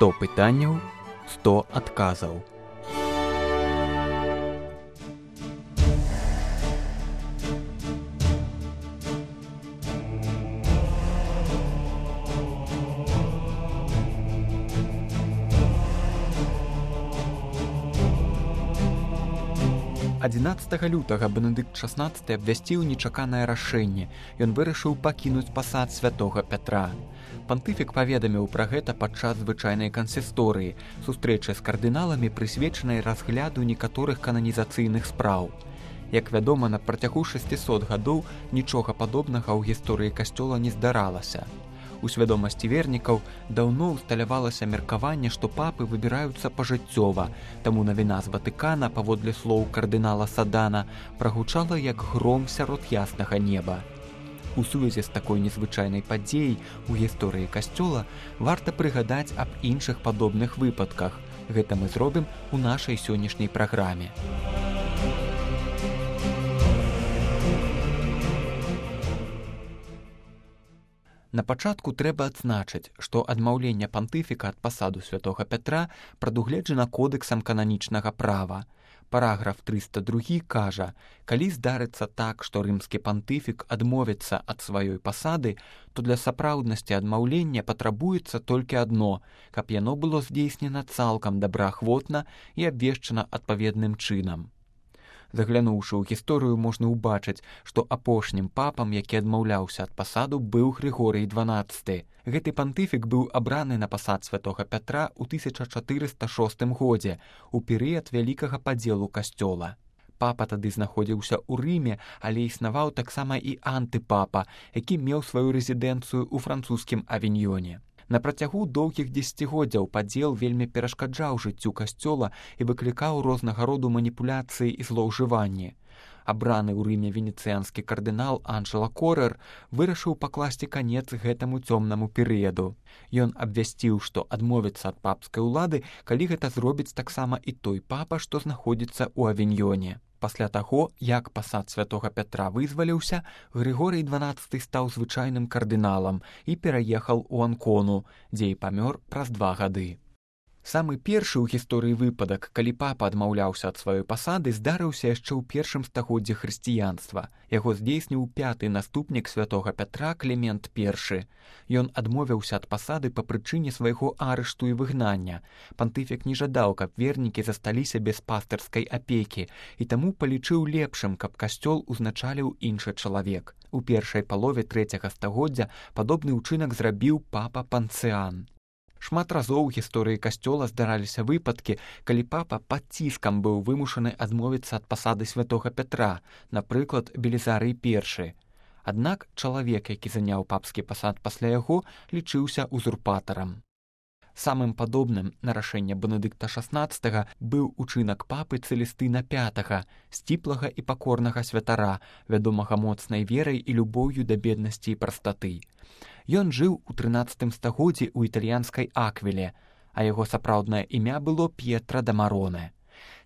100 пытанняў, 100 адказаў. «11 лютага Бенедыкт XVI абвясціў нечаканае рашэнне. Ён вырашыў пакінуць пасад святога Пятра. Пантыфік паведаміў пра гэта падчас звычайнай кансісторыі, сустрэчы з кардыналамі, прысвечанай разгляду некаторых кананізацыйных спраў. Як вядома, на працягу 600 гадоў нічога падобнага ў гісторыі касцёла не здаралася. У свядомасці вернікаў даўно ўсталявалася меркаванне, што папы выбіраюцца пажыццёва, таму навіна з Ватыкана, паводле слоў кардынала Садана, прагучала як гром сярод яснага неба. У сувязі з такой незвычайнай падзеяй у гісторыі касцёла варта прыгадаць аб іншых падобных выпадках. Гэта мы зробім у нашай сённяшняй праграме. На пачатку трэба адзначыць, што адмаўленне пантыфіка ад пасаду святога Пятра прадугледжана кодэксам кананічнага права. Параграф 302 кажа, калі здарыцца так, што рымскі пантыфік адмовіцца ад сваёй пасады, то для сапраўднасці адмаўлення патрабуецца толькі адно, каб яно было здзейснена цалкам добраахвотна і абвешчана адпаведным чынам. Заглянуўшы ў гісторыю, можна ўбачыць, што апошнім папам, які адмаўляўся ад пасаду, быў Грыгорый XII. Гэты пантыфік быў абраны на пасад святога Пятра ў 1406 годзе, у перыяд вялікага падзелу касцёла. Папа тады знаходзіўся ў Рыме, але існаваў таксама і антыпапа, які меў сваю рэзідэнцыю ў французскім Авіньёне. На працягу доўгіх дзесяцігоддзяў падзел вельмі перашкаджаў жыццю касцёла і выклікаў рознага роду маніпуляцыі і злоўжыванні. Абраны ў Рыме венецыянскі кардынал Анджела Корэр вырашыў пакласці канец гэтаму цёмнаму перыяду. Ён абвясціў, што адмовіцца ад папскай улады, калі гэта зробіць таксама і той папа, што знаходзіцца ў Авіньёне. Пасля таго, як пасад святога Пятра вызваліўся, Грыгорый XII стаў звычайным кардыналам і пераехаў у Анкону, дзе і памёр праз 2 гады. Самы першы ў гісторыі выпадак, калі папа адмаўляўся ад сваёй пасады, здарыўся яшчэ ў першым стагоддзі хрысціянства. Яго здзейсніў 5-ы наступнік святога Пятра Клімент I. Ён адмовіўся ад пасады па прычыне свайго арышту і выгнання. Пантыфік не жадаў, каб вернікі засталіся без пастырскай апекі, і таму палічыў лепшым, каб касцёл узначаліў іншы чалавек. У першай палове 3-го стагоддзя падобны ўчынак зрабіў папа Панцыян. Шмат разоў у гісторыі касцёла здараліся выпадкі, калі папа пад ціскам быў вымушаны адмовіцца ад пасады святога Пятра, напрыклад, Белізарый I. Аднак чалавек, які заняў папскі пасад пасля яго, лічыўся узурпатарам. Самым падобным на рашэнне Бенедыкта XVI быў учынак папы Цэлестына V, сціплага і пакорнага святара, вядомага моцнай верай і любоўю да беднасці і прастаты. Ён жыў у 13 стагоддзі ў італьянскай Аквіле, а яго сапраўднае імя было П'етра да Мароне.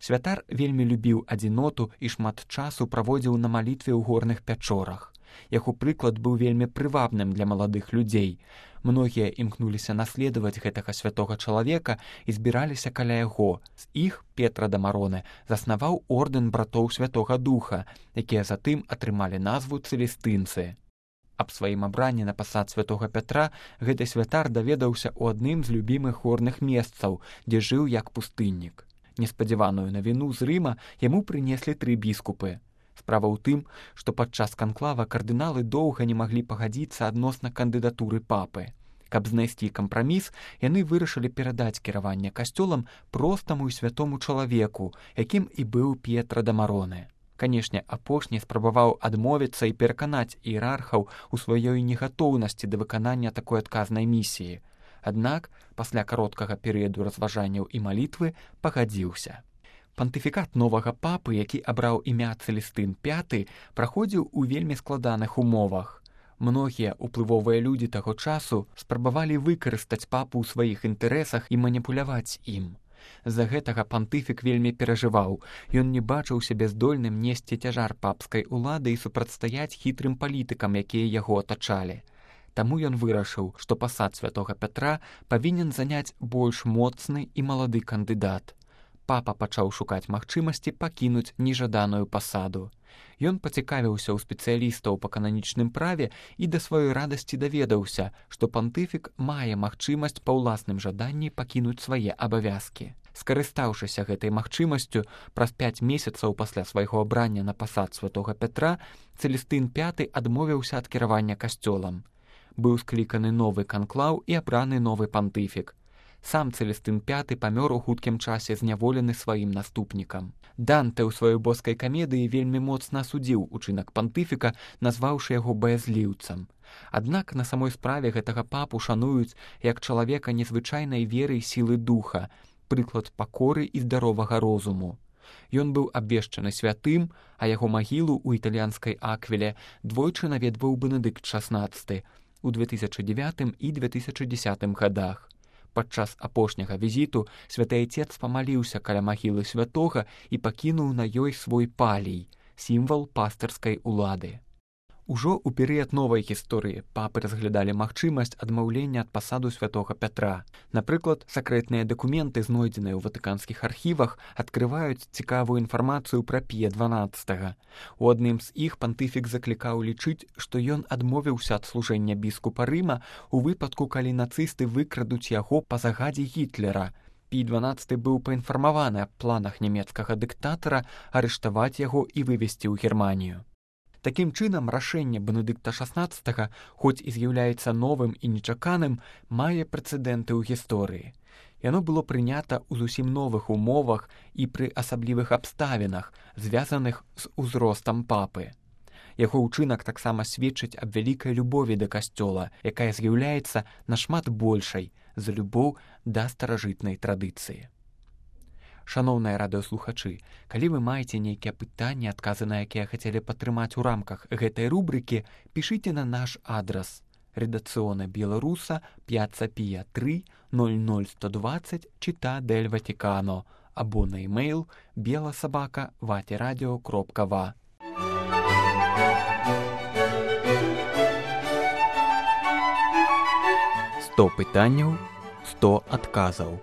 Святар вельмі любіў адзіноту і шмат часу праводзіў на малітве ў горных пячорах. Яго прыклад быў вельмі прывабным для маладых людзей. Многія імкнуліся наследаваць гэтага святога чалавека і збіраліся каля яго. З іх П'етра да Мароне заснаваў ордэн братоў Святога Духа, якія затым атрымалі назву цэлестынцы. Аб сваім абранні на пасад святога Пятра гэты святар даведаўся ў адным з любімых горных месцаў, дзе жыў як пустыннік. Неспадзяваную навіну з Рыма яму прынеслі 3 біскупы. Справа ў тым, што падчас канклава кардыналы доўга не маглі пагадзіцца адносна кандыдатуры папы. Каб знайсці кампраміс, яны вырашылі перадаць кіраванне касцёлам простаму і святому чалавеку, якім і быў П'етра да Мароне. Канешне, апошні спрабаваў адмовіцца і пераканаць іерархаў у сваёй негатоўнасці да выканання такой адказнай місіі. Аднак, пасля кароткага перыяду разважанняў і малітвы пагадзіўся. Пантыфікат новага папы, які абраў імя Цэлестын V, праходзіў у вельмі складаных умовах. Многія ўплывовыя людзі таго часу спрабавалі выкарыстаць папу ў сваіх інтарэсах і маніпуляваць ім. З-за гэтага пантыфік вельмі перажываў. Ён не бачыў сябе здольным несці цяжар папскай улады і супрацьстаяць хітрым палітыкам, якія яго атачалі. Таму ён вырашыў, што пасад святога Пятра павінен заняць больш моцны і малады кандыдат. Папа пачаў шукаць магчымасці пакінуць нежаданую пасаду. Ён пацікавіўся ў спецыялістаў па кананічным праве і да сваёй радасці даведаўся, што пантыфік мае магчымасць па ўласным жаданні пакінуць свае абавязкі. Скарыстаўшыся гэтай магчымасцю, праз 5 месяцаў пасля свайго абрання на пасад святога Пятра, Цэлестын V адмовіўся ад кіравання касцёлам. Быў скліканы новы канклаў і абраны новы пантыфік. Сам Цэлестын V памёр у хуткім часе зняволены сваім наступнікам. Данте ў сваёй боскай камедыі вельмі моцна асудзіў учынак пантыфіка, назваўшы яго баязліўцам. Аднак на самой справе гэтага папу шануюць як чалавека незвычайнай веры і сілы духа, прыклад пакоры і здаровага розуму. Ён быў абвешчаны святым, а яго магілу ў італьянскай Аквіле двойчы наведваў Бенедыкт XVI у 2009 і 2010 годах. Падчас апошняга візіту святы айцец памаліўся каля магілы святога і пакінуў на ёй свой палій, сімвал пастырскай улады. Ужо ў перыяд новай гісторыі папы разглядалі магчымасць адмаўлення ад пасаду святога Пятра. Напрыклад, сакрэтныя дакументы, знойдзеныя ў ватыканскіх архівах, адкрываюць цікавую інфармацыю пра Пія XII. У адным з іх пантыфік заклікаў лічыць, што ён адмовіўся ад служэння біскупа Рыма у выпадку, калі нацысты выкрадуць яго па загадзе Гітлера. Пій XII быў паінфармаваны аб планах нямецкага дыктатара арыштаваць яго і вывезці ў Германію. Такім чынам, рашэнне Бенедыкта XVI, хоць і з'яўляецца новым і нечаканым, мае прэцэдэнты ў гісторыі. Яно было прынята ў зусім новых умовах і пры асаблівых абставінах, звязаных з узростам папы. Яго ўчынак таксама сведчыць аб вялікай любові да касцёла, якая з'яўляецца нашмат большай за любоў да старажытнай традыцыі. Шаноўныя радыёслухачы, калі вы маеце нейкія пытанні, адказы на якія хацелі падтрымаць у рамках гэтай рубрыкі, пішыце на наш адрас: редакцыона Беларуса, Пьяцца Пія 3, 00120, Città del Vaticano, або на e-mail bela@vatiradio.va. 100 пытанняў, 100 адказаў.